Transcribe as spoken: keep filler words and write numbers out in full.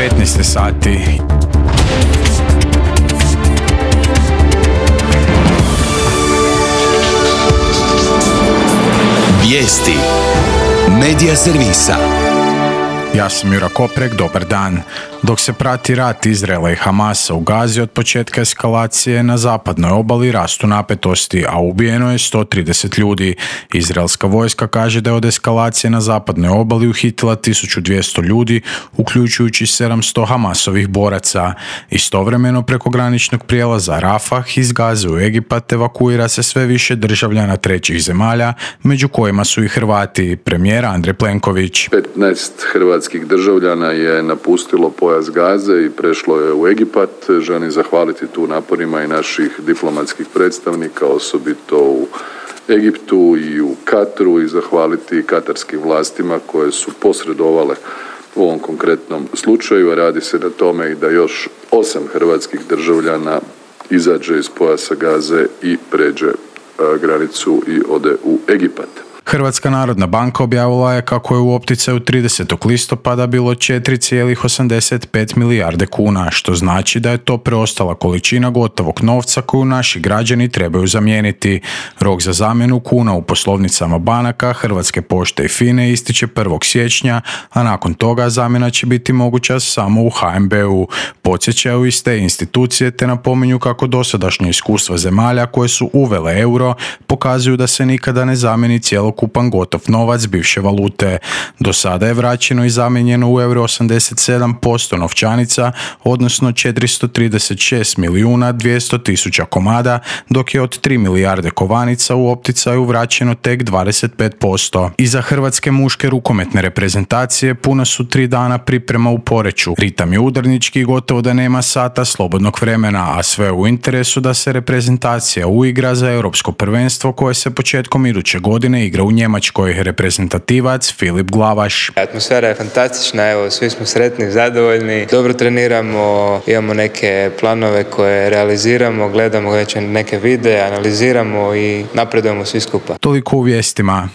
petnaest sati. Vijesti Medija servisa. Ja sam Jura Koprek, dobar dan. Dok se prati rat Izraela i Hamasa u Gazi od početka eskalacije na zapadnoj obali rastu napetosti, a ubijeno je sto trideset ljudi. Izraelska vojska kaže da je od eskalacije na zapadnoj obali uhitila tisuću dvjesto ljudi, uključujući sedamsto Hamasovih boraca. Istovremeno preko graničnog prijelaza Rafah iz Gaze u Egipat evakuira se sve više državljana trećih zemalja, među kojima su i Hrvati. Premijer Andrej Plenković. petnaest hrvatskih državljana je napustilo pojas Gaze i prešlo je u Egipat. Želim zahvaliti tu naporima i naših diplomatskih predstavnika, osobito u Egiptu i u Katru, i zahvaliti katarskim vlastima koje su posredovale u ovom konkretnom slučaju. Radi se na tome i da još osam hrvatskih državljana izađe iz pojasa Gaze i pređe granicu i ode u Egipat. Hrvatska narodna banka objavila je kako je u opticaju tridesetog listopada bilo četiri zarez osamdeset pet milijarde kuna, što znači da je to preostala količina gotovog novca koju naši građani trebaju zamijeniti. Rok za zamjenu kuna u poslovnicama banaka, Hrvatske pošte i FINA-e ističe prvog siječnja, a nakon toga zamjena će biti moguća samo u H N B-u. Podsjećaju iz te institucije te napominju kako dosadašnje iskustva zemalja koje su uvele euro pokazuju da se nikada ne zamijeni cijelog ukupan gotov novac bivše valute. Do sada je vraćeno i zamijenjeno u euro osamdeset sedam posto novčanica, odnosno četiristo trideset šest milijuna dvjesto tisuća komada, dok je od tri milijarde kovanica u opticaju vraćeno tek dvadeset pet posto. Iza hrvatske muške rukometne reprezentacije puna su tri dana priprema u Poreču. Ritam je udarnički i gotovo da nema sata slobodnog vremena, a sve u interesu da se reprezentacija uigra za europsko prvenstvo koje se početkom iduće godine igra u Njemačkoj. Reprezentativac Filip Glavaš. Atmosfera je fantastična, evo, svi smo sretni, zadovoljni, dobro treniramo, imamo neke planove koje realiziramo, gledamo neke videe, analiziramo i napredujemo svi skupa. Toliko u vijestima.